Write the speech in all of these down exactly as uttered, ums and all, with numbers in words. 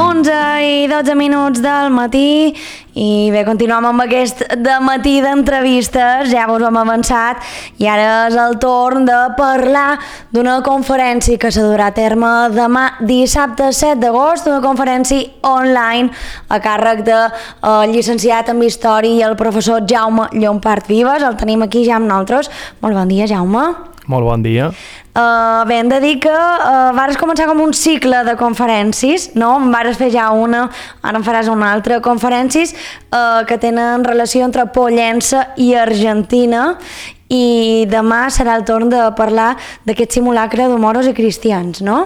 onze i dotze minuts del matí i bé, continuem amb aquest de matí d'entrevistes, ja us hem avançat i ara és el torn de parlar d'una conferència que s'adurà a terme demà dissabte set d'agost, una conferència online a càrrec del de, llicenciat en Història i el professor Jaume Llompart Vives. El tenim aquí ja amb nosaltres. Molt bon dia, Jaume. Molt bon dia. Uh, bé, hem de dir que uh, vares començar com un cicle de conferències, no? Vares fer ja una, ara en faràs una altra, conferències uh, que tenen relació entre Pollença i Argentina, i demà serà el torn de parlar d'aquest simulacre d'homoros i cristians, no?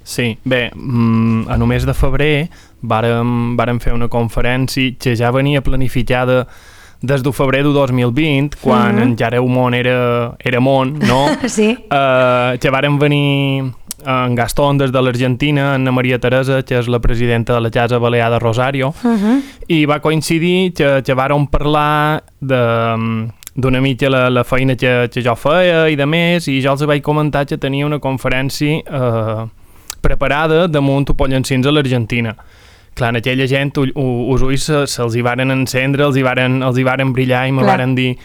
Sí, bé, a només de febrer vàrem, vàrem fer una conferència que ja venia planificada des de febrer de dos mil vint, quan mm-hmm. encara el món era, era món, no? Sí. Uh, que vàrem venir en Gastón des de l'Argentina, Anna Maria Teresa, que és la presidenta de la Casa Balear de Rosario, uh-huh. i va coincidir que, que vàrem parlar de, d'una mica la, la feina que, que jo feia i de més, i jo els vaig comentar que tenia una conferència uh, preparada damunt Pollencins a l'Argentina. Clar, en aquella gent us ulls se, se'ls hi varen encendre, els hi varen, els hi varen brillar i me varen dir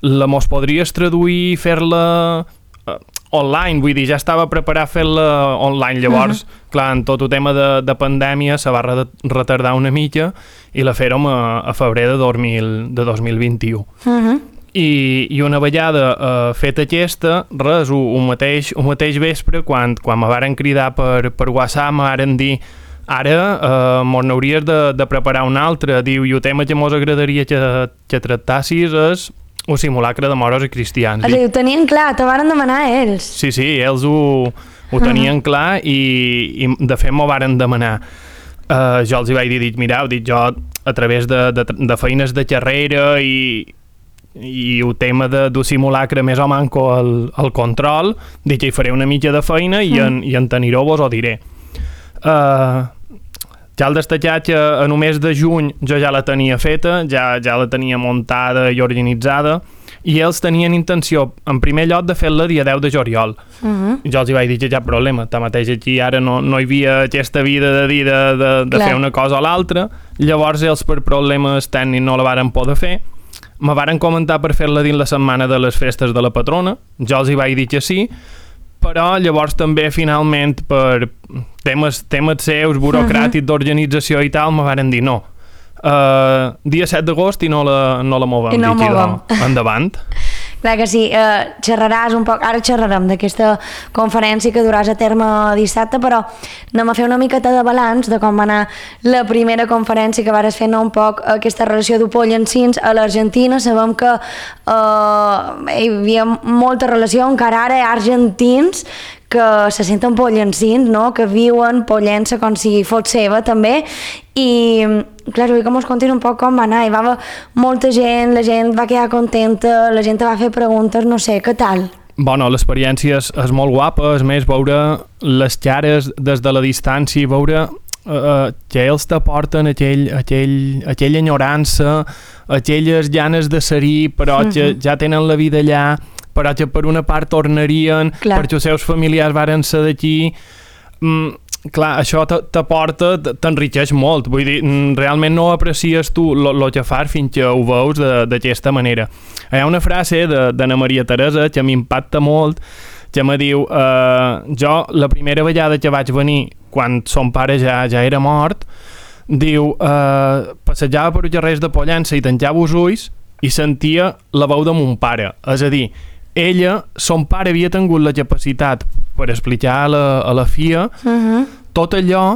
la mos podries traduir i fer-la uh, online, vull dir, ja estava preparat fer-la online. Llavors, uh-huh. clar, en tot el tema de, de pandèmia se va retardar una mica i la fèrem a, a febrer de, dos mil, de dos mil vint-i-u. Uh-huh. I, i una vegada uh, feta aquesta, res, un mateix, un mateix vespre, quan, quan me varen cridar per, per WhatsApp, me varen dir ara eh, mos n'hauries de, de preparar un altre. Diu, i el tema que mos agradaria que, que tractassis és un simulacre de moros i cristians. O sigui, ho tenien clar, te varen demanar ells. Sí, sí, ells ho, ho tenien uh-huh. clar i, i de fet m'ho varen demanar. Uh, jo els hi vaig dir, dic, mireu, dic, jo a través de, de, de feines de carrera i, i el tema de, de simulacre més o manco el, el control, dic que hi faré una mitja de feina i, uh-huh. en, i en teniró vos ho diré. Uh, ja el destacat que a només de juny jo ja la tenia feta, ja, ja la tenia muntada i organitzada, i ells tenien intenció, en primer lloc, de fer-la dia deu de juliol. Uh-huh. Jo els hi vaig dir que cap problema, tanmateix aquí ara no, no hi havia aquesta vida de dir de, de, de fer una cosa o l'altra. Llavors ells per problemes tècnics no la varen poder fer, me varen comentar per fer-la dins la setmana de les festes de la patrona, jo els hi vaig dir que sí, però llavors també finalment per temes, temes seus, burocràtics, uh-huh. d'organització i tal, me varen dir no. Uh, dia set d'agost i no la, no la movem. I no movem. Endavant. Clar que sí, eh, xerraràs un poc, ara xerrarem d'aquesta conferència que duràs a terme dissabte, però anem a fer una miqueta de balanç de com va anar la primera conferència que vares fer, no, un poc aquesta relació de Pollencins a l'Argentina. Sabem que eh, hi havia molta relació, encara ara hi ha argentins que se senten pollencins, no? Que viuen Pollença com si fos seva també, i clar, vull que mos contin un poc com va anar. Hi va haver molta gent, la gent va quedar contenta, la gent va fer preguntes, no sé, què tal? Bueno, l'experiència és, és molt guapa, és més, veure les cares des de la distància, veure uh, que ells t'aporten aquell, aquell, aquella enyorança, aquelles ganes de ser-hi, però uh-huh. que ja tenen la vida allà, però que per una part tornarien, clar. Perquè els seus familiars varen ser d'aquí. Mm, clar, això t'aporta, t'enriqueix molt. Vull dir, realment no aprecies tu el que fas fins que ho veus d'aquesta manera. Hi ha una frase d'Anna Maria Teresa que m'impacta molt, que me diu, eh, jo la primera vegada que vaig venir, quan son pare ja, ja era mort, diu, eh, passejava per els carrers de Pollença i tancava els ulls i sentia la veu de mon pare. És a dir, ella, son pare havia tingut la capacitat per explicar a la, a la filla uh-huh. tot allò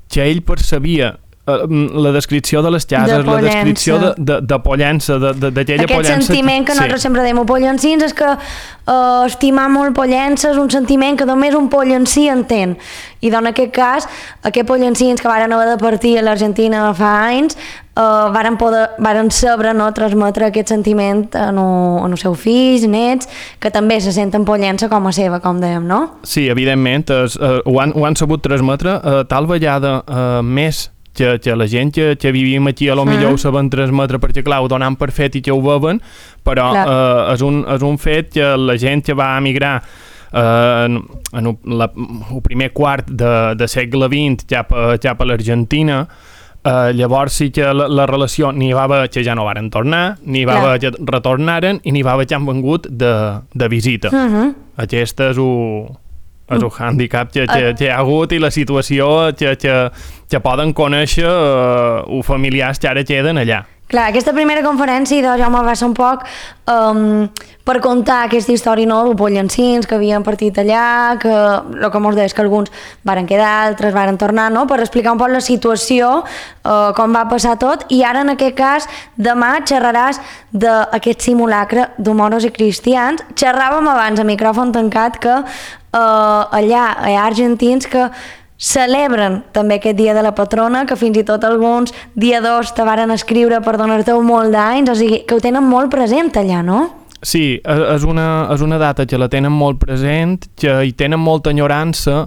que ell percebia, la descripció de les cases, la descripció de, de, de Pollença, d'aquella Pollença. Aquest sentiment que nosaltres sí. sempre dèiem pollencins és que uh, estimar molt Pollença és un sentiment que només un pollencí entén. I en aquest cas, aquests pollencins que varen haver de partir a l'Argentina fa anys uh, varen, poder, varen saber no, transmetre aquest sentiment en, en els seus fills, nets, que també se senten Pollença com a seva, com dèiem, no? Sí, evidentment, es, uh, ho, han, ho han sabut transmetre uh, tal vegada uh, més que, que la gent que, que vivim aquí a lo millor mm. ho saben transmetre perquè clar, ho donen per fet i que ho veuen, però eh, és, un, és un fet que la gent que va emigrar eh, en, en la, el primer quart de, de segle vint cap a, cap a l'Argentina. Uh, llavors sí que la, la relació n'hi va haver que ja no varen tornar, n'hi va haver que retornaren i n'hi va haver que han vengut de, de visita. Uh -huh. Aquest és un, és un handicap que, que, que hi ha hagut i la situació que, que, que poden conèixer uh, els familiars que ara queden allà. Clar, aquesta primera conferència, doncs, Jaume, va ser un poc um, per contar aquesta història, no?, dels pollancins que havien partit allà, que el que mos deies que alguns varen quedar, altres varen tornar, no?, per explicar un poc la situació, uh, com va passar tot, i ara, en aquest cas, demà xerraràs d'aquest simulacre d'homoros i cristians. Xerràvem abans a micròfon tancat que uh, allà hi ha argentins que celebren també aquest dia de la patrona, que fins i tot alguns dia dos te varen escriure per donar-te molt d'anys, o sigui, que ho tenen molt present allà, no? Sí, és una, és una data que la tenen molt present, que hi tenen molta enyorança,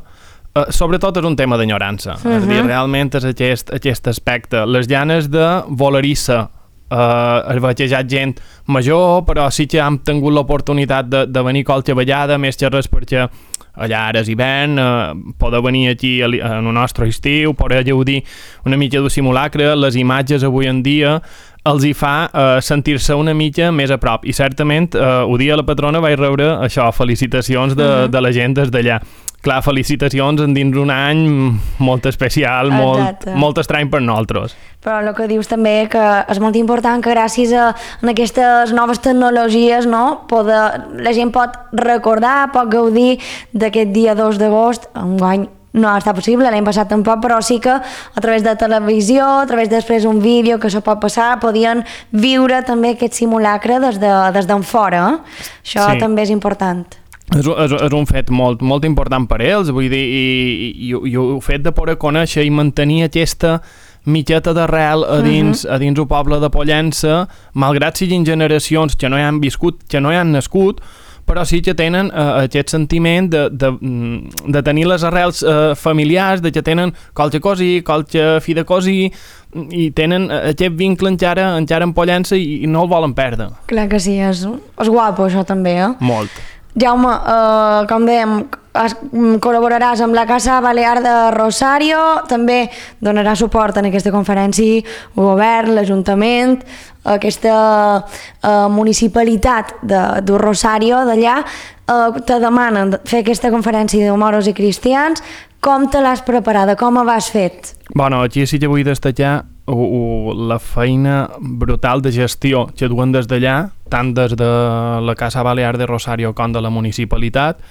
eh, sobretot és un tema d'enyorança, uh-huh. És a dir, realment és aquest, aquest aspecte. Les llanes de volerissa, Uh, es veig gent major, però sí que hem tingut l'oportunitat de, de venir qualque vegada, més que res perquè allà ara és hivern, uh, poder venir aquí en el nostre estiu, poder gaudir una mica d'un simulacre, les imatges avui en dia els hi fa uh, sentir-se una mica més a prop, i certament uh, el dia de la patrona vaig rebre això, felicitacions de, uh-huh. de la gent des d'allà. Clar, felicitacions en dins un any molt especial, molt, molt estrany per nosaltres. Però el que dius també que és molt important que gràcies a, a aquestes noves tecnologies, no, poder, la gent pot recordar, pot gaudir d'aquest dia dos d'agost. Enguany no està possible, l'any passat tampoc, però sí que a través de televisió, a través després un vídeo que això pot passar, podien viure també aquest simulacre des de, des d'en fora. Eh? Això sí. També és important. És, és, és un fet molt, molt important per ells, vull dir, i, i, i el fet de poder conèixer i mantenir aquesta mitjeta d'arrel a dins, uh -huh. a dins el poble de Pollença, malgrat siguin generacions que no hi han viscut, que no hi han nascut, però sí que tenen uh, aquest sentiment de, de, de tenir les arrels uh, familiars, de que tenen qualque cosí, qualque fi de cosí, i tenen aquest vincle encara, encara en Pollença i, i no el volen perdre. Clar que sí, és, és guapo això també, eh? Molt. Jaume, eh, com dèiem, es, col·laboraràs amb la Casa Balear de Rosario, també donarà suport en aquesta conferència el govern, l'Ajuntament, aquesta eh, municipalitat de, de Rosario d'allà, eh, te demanen fer aquesta conferència d'homoros i cristians. Com te l'has preparada? Com ho has fet? Bueno, aquí sí que vull destacar uh, uh, la feina brutal de gestió que duen des d'allà, tant des de la Casa Balear de Rosario com de la municipalitat.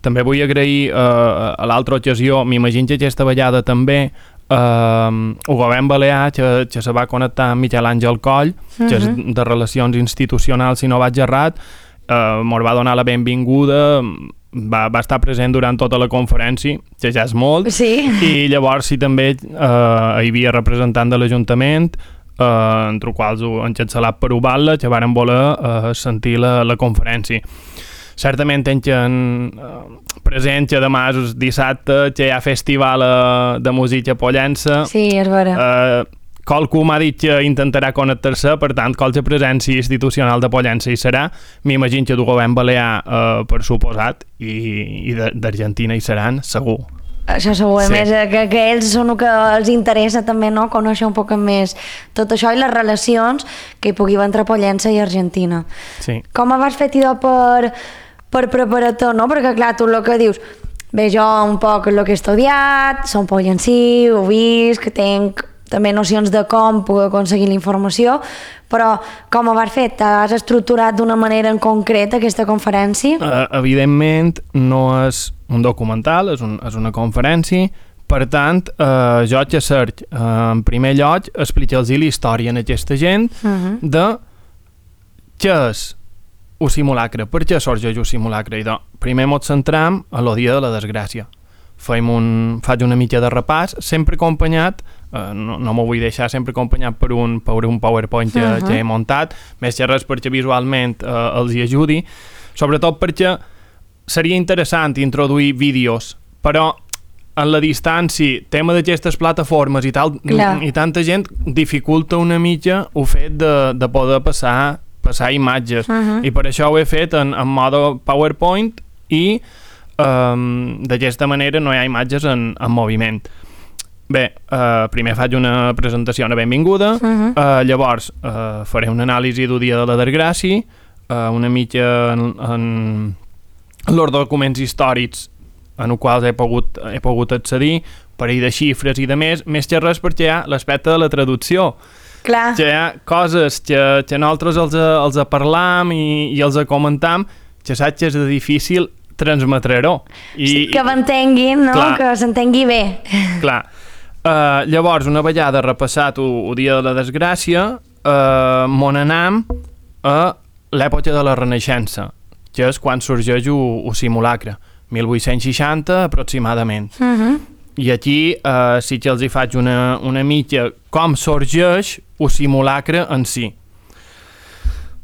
També vull agrair uh, a l'altra ocasió, m'imagino que aquesta vegada també, uh, el govern balear que, que se va connectar amb Miquel Àngel Coll, uh-huh. que és de Relacions Institucionals, si no vaig errat, uh, mos va donar la benvinguda, va, va estar present durant tota la conferència, que ja és molt, sí. I llavors sí també uh, hi havia representant de l'Ajuntament, uh, entre els quals han xancelat per Ubalda, que varen voler uh, sentir la, la conferència. Certament tenen uh, present que demà és dissabte, que hi ha festival uh, de música a Pollença. Sí, és vera. Uh, Qualcú m'ha dit que intentarà connectar-se, per tant, qualque presència institucional de Pollença hi serà. M'imagino que del govern balear, uh, per suposat, i, i d'Argentina hi seran, segur. Això segur, sí. A més, que, que ells són el que els interessa també, no?, conèixer un poc més tot això i les relacions que hi pugui haver entre Pollença i Argentina. Sí. Com vas fer, Tidó, per, per preparar tot, no? Perquè, clar, tu el que dius, bé, jo un poc el que he estudiat, som pollencí, ho vist, que tenc també nocions de com puc aconseguir la informació, però com ho has fet? T'has estructurat d'una manera en concret aquesta conferència? Uh, evidentment no és un documental, és, un, és una conferència, per tant, uh, jo que cerc, uh, en primer lloc, explicar-los la història a aquesta gent uh-huh. de què és el simulacre, per què sorgeix el simulacre. I doncs, primer ens centram a el dia de la desgràcia. Faig un, faig una mica de repàs, sempre acompanyat, eh, no, no m'ho vull deixar, sempre acompanyat per un, per un PowerPoint que, uh-huh. que he muntat, més que res perquè visualment eh, els hi ajudi, sobretot perquè seria interessant introduir vídeos, però en la distància, tema d'aquestes plataformes i, tal, i tanta gent, dificulta una mica el fet de, de poder passar, passar imatges, uh-huh. i per això ho he fet en, en mode PowerPoint i um, d'aquesta manera no hi ha imatges en, en moviment. Bé, uh, primer faig una presentació, una benvinguda, uh-huh. uh, llavors uh, faré una anàlisi del dia de la desgràcia, uh, una mica en, en els documents històrics en els quals he pogut, he pogut accedir, parell de xifres i de més, més que res perquè hi ha l'aspecte de la traducció. Clar. Que hi ha coses que, que nosaltres els, els parlam i, i els comentam, que saps que és difícil transmetre-ho. I, sí, que m'entenguin, no? Clar, que s'entengui bé. Clar. Uh, llavors, una vegada repassat el dia de la desgràcia, uh, mon anam a l'època de la Renaixença, que és quan sorgeix el simulacre, mil vuit-cents seixanta aproximadament. Uh-huh. I aquí uh, sí que els hi faig una, una mica com sorgeix el simulacre en si.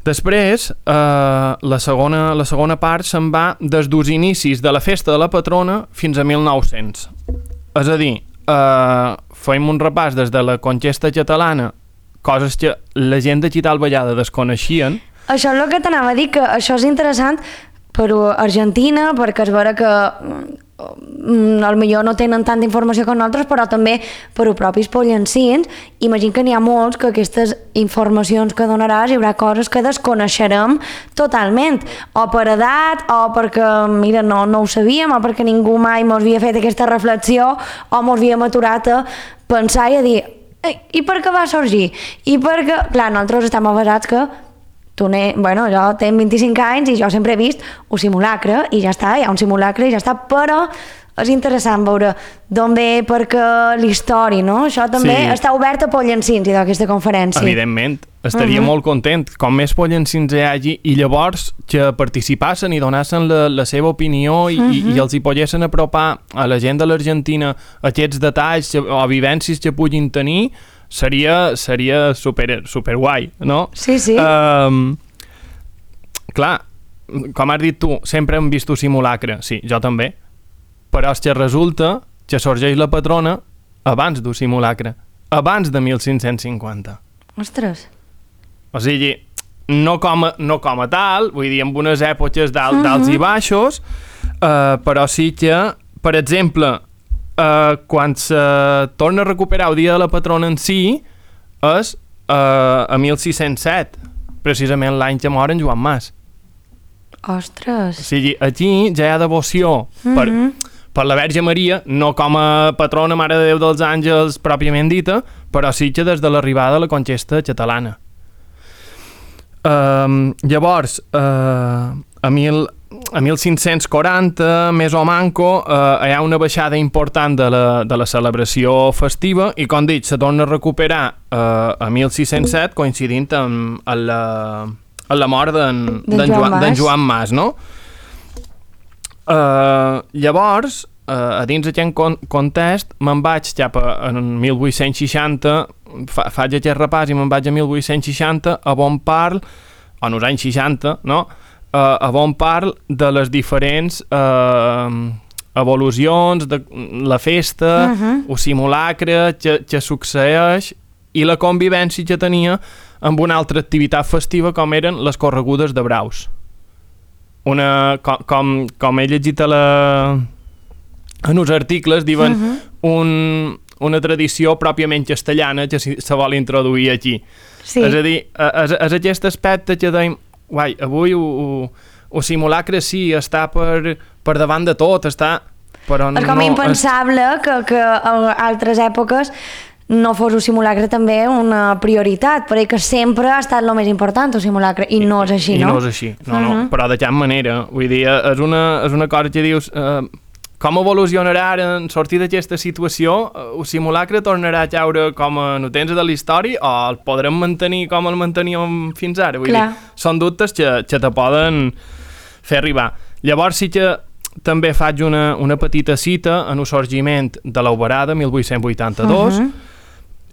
Després, uh, la, segona, la segona part se'n va des dels inicis de la festa de la patrona fins a mil nou-cents. És a dir, Uh, fem un repàs des de la conquesta catalana, coses que la gent de tal vegada desconeixien. Això és el que t'anava a dir, que això és interessant per Argentina, perquè es veure que mm, potser no tenen tanta informació com nosaltres, però també per als propis pollencins. Imagino que n'hi ha molts que aquestes informacions que donaràs hi haurà coses que desconeixerem totalment, o per edat, o perquè mira, no, no ho sabíem, o perquè ningú mai mos havia fet aquesta reflexió, o mos havíem aturat a pensar i a dir i per què va sorgir? I perquè, clar, nosaltres estem avasats que tu ne... bueno, jo tinc vint-i-cinc anys i jo sempre he vist un simulacre i ja està, hi ha un simulacre i ja està, però és interessant veure d'on ve, perquè l'història, no? Això també sí. Està obert a pollencins i d'aquesta conferència. Evidentment, estaria uh-huh. molt content. Com més pollencins hi hagi i llavors que participassen i donassen la, la seva opinió i, uh-huh. i, i els hi poguessin apropar a la gent de l'Argentina aquests detalls o vivències que puguin tenir, seria, seria super, super guai, no? Sí, sí. Um, clar, com has dit tu, sempre hem vist un simulacre, sí, jo també, però és que resulta que sorgeix la patrona abans d'un simulacre, abans de mil cinc-cents cinquanta. Ostres. O sigui, no com a, no com a tal, vull dir, en unes èpoques d'alt, uh-huh. d'alts i baixos, uh, però sí que, per exemple, Uh, quan se torna a recuperar el dia de la patrona en si és uh, a mil sis-cents set, precisament l'any que mor en Joan Mas. Ostres! O sigui, aquí ja hi ha devoció uh-huh. per, per la Verge Maria, no com a patrona Mare de Déu dels Àngels pròpiament dita, però sí que des de l'arribada de la conquesta catalana. Uh, llavors, uh, a mil a mil cinc-cents quaranta, més o manco, eh, hi ha una baixada important de la, de la celebració festiva i, com dic, se torna a recuperar eh, a mil sis-cents set, coincidint amb, amb, la, amb la mort d'en Joan, Joan, Joan Mas, no? Eh, llavors, eh, a dins d'aquest context, me'n vaig cap a en mil vuit-cents seixanta, fa, faig aquest repàs i me'n vaig a mil vuit-cents seixanta, a on parl, en els anys seixanta, no?, Uh, a on parl de les diferents uh, evolucions de la festa, uh-huh. el simulacre que, que succeeix i la convivència que tenia amb una altra activitat festiva com eren les corregudes de braus. Una, com, com, com he llegit a la, en els articles, diuen uh-huh. un, una tradició pròpiament castellana que se vol introduir aquí. Sí. És a dir, és, és aquest aspecte que deim guai, avui el simulacre sí, està per, per davant de tot, està... Però és com no, impensable és... que, que a altres èpoques no fos un simulacre també una prioritat, perquè que sempre ha estat el més important, el simulacre, i no és així, I, no? I no és així, no, uh-huh. no, però de cap manera. Vull dir, és una, és una cosa que dius... Eh, com evolucionarà en sortir d'aquesta situació? El simulacre tornarà a caure com a notens de la història o el podrem mantenir com el manteníem fins ara? Vull Clar. dir, són dubtes que, que te poden fer arribar. Llavors sí que també faig una, una petita cita en el sorgiment de l'Alberada, mil vuit-cents vuitanta-dos, uh-huh.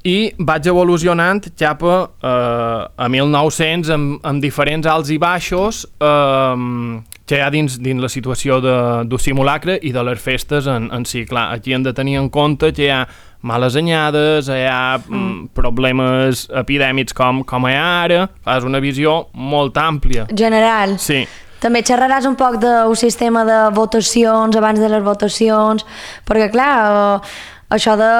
i vaig evolucionant cap a, uh, a mil nou-cents amb, amb diferents alts i baixos uh, que hi ha dins, dins la situació de, del simulacre i de les festes en, en si. Clar, aquí hem de tenir en compte que hi ha males anyades, hi ha mm, problemes epidèmics com, com hi ha ara, és una visió molt àmplia. General. Sí. també xerraràs un poc del sistema de votacions abans de les votacions, perquè clar, eh, això de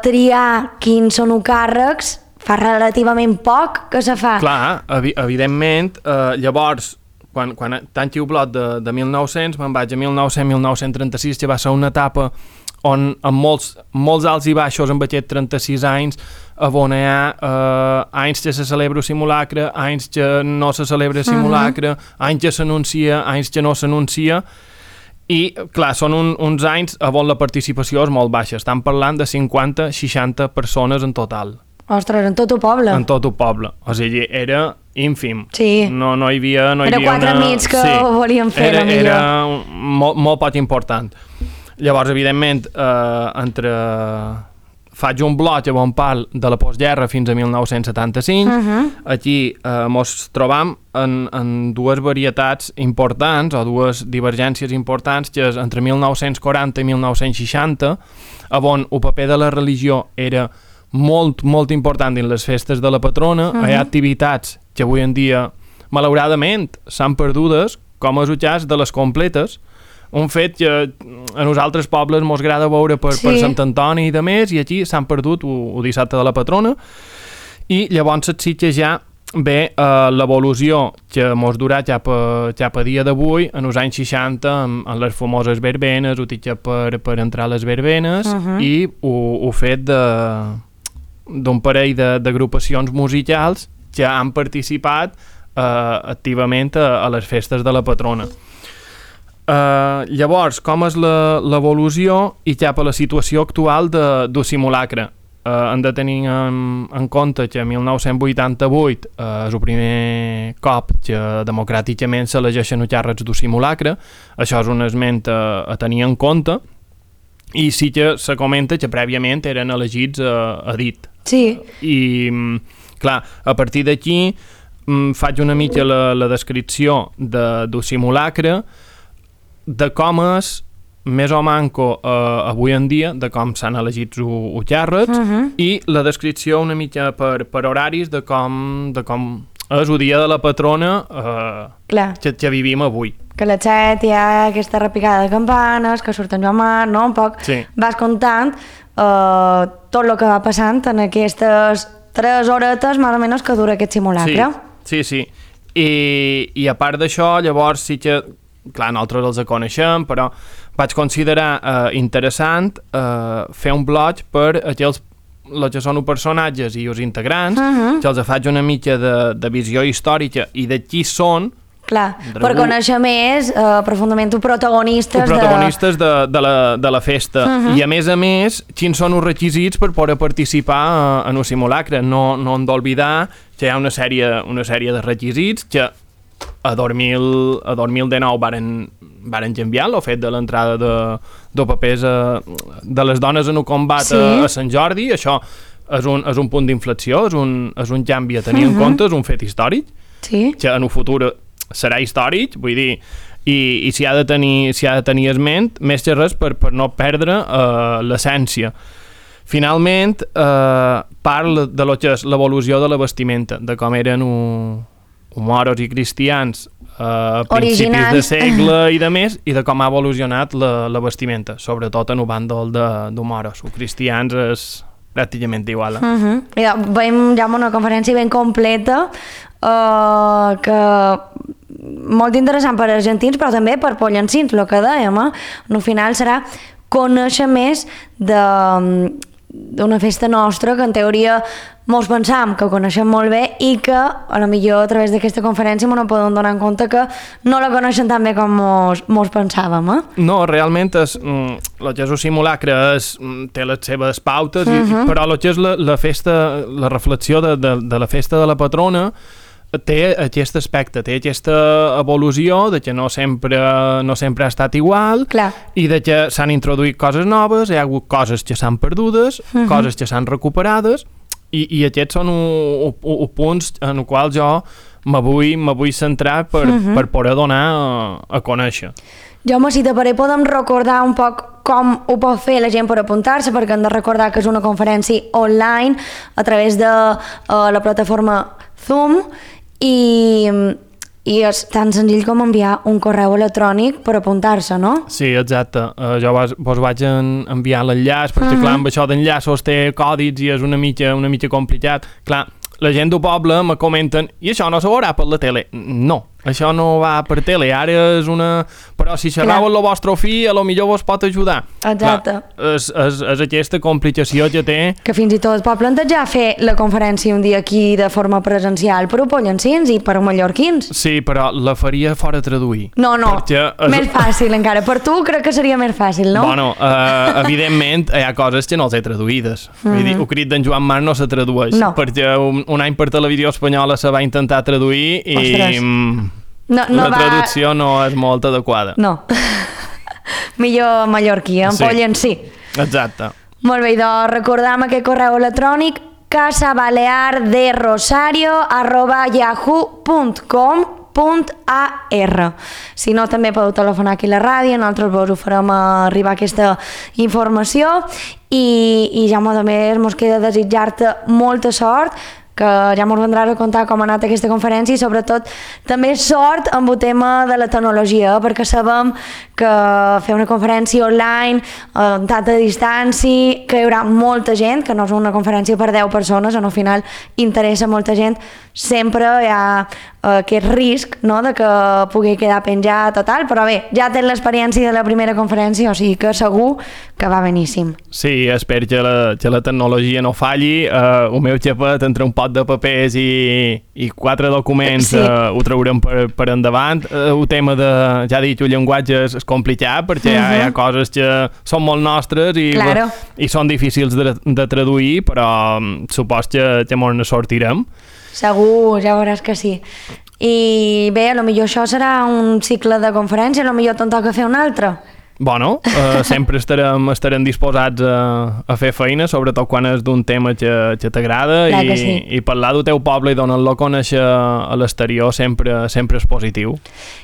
triar quins són els càrrecs fa relativament poc que se fa. Clar, evi evidentment, eh, llavors, quan, quan tanqui el bloc de, de mil nou-cents, me'n vaig a mil nou-cents a mil nou-cents trenta-sis, que va ser una etapa on amb molts, molts alts i baixos amb aquests trenta-sis anys, on hi ha eh, anys que se celebra el simulacre, anys que no se celebra el simulacre, uh -huh. anys que s'anuncia, anys que no s'anuncia, i, clar, són un, uns anys on la participació és molt baixa. Estan parlant de cinquanta a seixanta persones en total. Ostres, en tot el poble. En tot el poble. O sigui, era ínfim. Sí. No, no hi havia... No hi era havia quatre una... amics que sí. ho volien fer, era, millor. Era molt, molt poc important. Llavors, evidentment, eh, entre... faig un bloc on parlo de la postguerra fins a mil nou-cents setanta-cinc. Uh -huh. Aquí eh, mos trobam en, en dues varietats importants, o dues divergències importants, que és entre mil nou-cents quaranta i mil nou-cents seixanta, on el paper de la religió era molt, molt important en les festes de la patrona. Uh -huh. Hi ha activitats que avui en dia, malauradament, s'han perdudes, com és el cas de les completes, un fet que a nosaltres pobles mos agrada veure per, sí. per Sant Antoni i de més, i aquí s'han perdut el dissabte de la patrona, i llavors sí que ja ve eh, l'evolució que mos durà cap a, cap a dia d'avui, en els anys seixanta, en, en les famoses verbenes, el tiquet per, per entrar a les verbenes, uh -huh. i el fet d'un parell d'agrupacions musicals que han participat eh, activament a, a les festes de la patrona. Uh, llavors, com és l'evolució i cap a la situació actual de, del simulacre? Uh, hem de tenir en, en compte que mil nou-cents vuitanta-vuit uh, és el primer cop que democràticament s'elegeixen els càrrecs del simulacre. Això és un esment a, a tenir en compte, i sí que se comenta que prèviament eren elegits a, a dit. Sí. I, clar, a partir d'aquí faig una mica la, la descripció de, del simulacre, de com és més o manco eh, avui en dia, de com s'han elegit els càrrecs, uh -huh. i la descripció una mica per, per horaris de com, de com és el dia de la patrona eh, que, que vivim avui. Que a les set hi ha aquesta repicada de campanes, que surt en Joan Mar, no? Un poc sí. vas comptant eh, tot el que va passant en aquestes tres horetes, més o menys, que dura aquest simulacre. Sí, sí, sí. I, i a part d'això, llavors sí que clar, nosaltres els coneixem, però vaig considerar eh, interessant eh, fer un blog per aquells els que són els personatges i els integrants, uh -huh. que els faig una mica de, de visió històrica i de qui són. Clar, per conèixer més eh, profundament els protagonistes, els protagonistes de... De, de, la, de la festa. Uh -huh. I a més a més, quins són els requisits per poder participar en el simulacre. No, no hem d'oblidar que hi ha una sèrie, una sèrie de requisits que a dos mil dinou varen, varen canviar el fet de l'entrada de, de papers a, de les dones en el combat sí. a, a Sant Jordi. Això és un, és un punt d'inflexió, és, un, és un canvi a tenir uh -huh. en compte, és un fet històric, sí. que en el futur serà històric, vull dir, i, i s'hi ha de tenir, s'hi ha de tenir esment, més que res per, per no perdre uh, l'essència. Finalment, uh, parla de lo que és l'evolució de la vestimenta, de com eren un moros i cristians a principis originals. De segle i de més, i de com ha evolucionat la, la vestimenta, sobretot en el bàndol de, de moros. Els cristians és pràcticament igual. Eh? Uh -huh. Ja, veiem ja una conferència ben completa, uh, que molt interessant per argentins, però també per pollancins, el que dèiem. Eh? Al final serà conèixer més de d'una festa nostra que en teoria molts pensam que ho coneixem molt bé i que a lo millor a través d'aquesta conferència no podem donar en compte que no la coneixen tan bé com mos, mos pensàvem. Eh? No, realment és, mm, el que és el simulacre és, té les seves pautes, uh -huh. i, però el que és la, la festa, la reflexió de, de, de la festa de la patrona té aquest aspecte, té aquesta evolució de que no sempre, no sempre ha estat igual. Clar. I de que s'han introduït coses noves, hi ha hagut coses que s'han perdudes, uh -huh. coses que s'han recuperades, i, i aquests són els punts en els quals jo me vull, me vull centrar per, uh -huh. per poder donar a, a conèixer. Jaume, si te pare, podem recordar un poc com ho pot fer la gent per apuntar-se, perquè hem de recordar que és una conferència online a través de uh, la plataforma Zoom, i i és tan senzill com enviar un correu electrònic per apuntar-se, no? Sí, exacte. Uh, jo vos, vos vaig en, enviar l'enllaç, perquè, Mhm. clar, amb això d'enllaços té còdits i és una mica, una mica complicat. Clar, la gent del poble me comenten i això no se veurà per la tele. No, això no va per tele, ara és una... Però si xerrau amb el vostre fill, a lo millor vos pot ajudar. Exacte. Clar, és, és, és aquesta complicació que té. Que fins i tot es pot plantejar fer la conferència un dia aquí de forma presencial per a pollencins i per a mallorquins. Sí, però la faria fora traduir. No, no, Perquè és... més fàcil encara. Per tu crec que seria més fàcil, no? Bueno, uh, evidentment hi ha coses que no les he traduïdes. Mm -hmm. Vull dir, el crit d'en Joan Marc no se tradueix. No. Perquè un, un any per televisió espanyola se va intentar traduir i... Ostres. mm, No, no la va... traducció no és molt adequada. No. Millor mallorquí, en Sí. pollencí. Exacte. Molt bé, doncs recordam aquest correu electrònic casabalearderosario arroba yahoo punt com punt a r. Si no, també podeu telefonar aquí a la ràdio, nosaltres vos ho farem arribar aquesta informació i, i ja a més mos queda desitjar-te molta sort, que ja ens vendràs a contar com ha anat aquesta conferència i sobretot també sort amb el tema de la tecnologia, perquè sabem que fer una conferència online amb tanta distància, que hi haurà molta gent, que no és una conferència per deu persones, en al final interessa molta gent, sempre hi ha aquest risc, no?, de que pugui quedar penjat o tal, però bé, ja tens l'experiència de la primera conferència, o sigui que segur que va beníssim. Sí, espero que la, que la tecnologia no falli. Uh, el meu xapet entre un pot de papers i, i quatre documents Sí. uh, ho traurem per, per endavant. Uh, el tema de, ja he dit, el llenguatge és, és complicat perquè uh -huh. hi, ha, hi ha coses que són molt nostres i, Claro. i són difícils de, de traduir, però um, supos que, que ens ne sortirem. Segur, ja veuràs que sí. I bé, a lo millor això serà un cicle de conferència, a lo millor te'n toca fer un altre. Bueno, uh, sempre estarem, estarem disposats a, a fer feina, sobretot quan és d'un tema que, que t'agrada Clar i, que sí. i parlar del teu poble i donar-lo a conèixer a l'exterior sempre, sempre és positiu.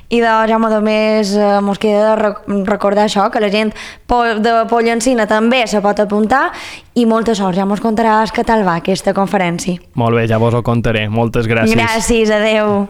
I de Jaume, a més, eh, mos queda de rec recordar això, que la gent po de Pollencina també se pot apuntar i molta sort, ja mos contaràs què tal va aquesta conferència. Molt bé, ja vos ho contaré. Moltes gràcies. Gràcies, adeu.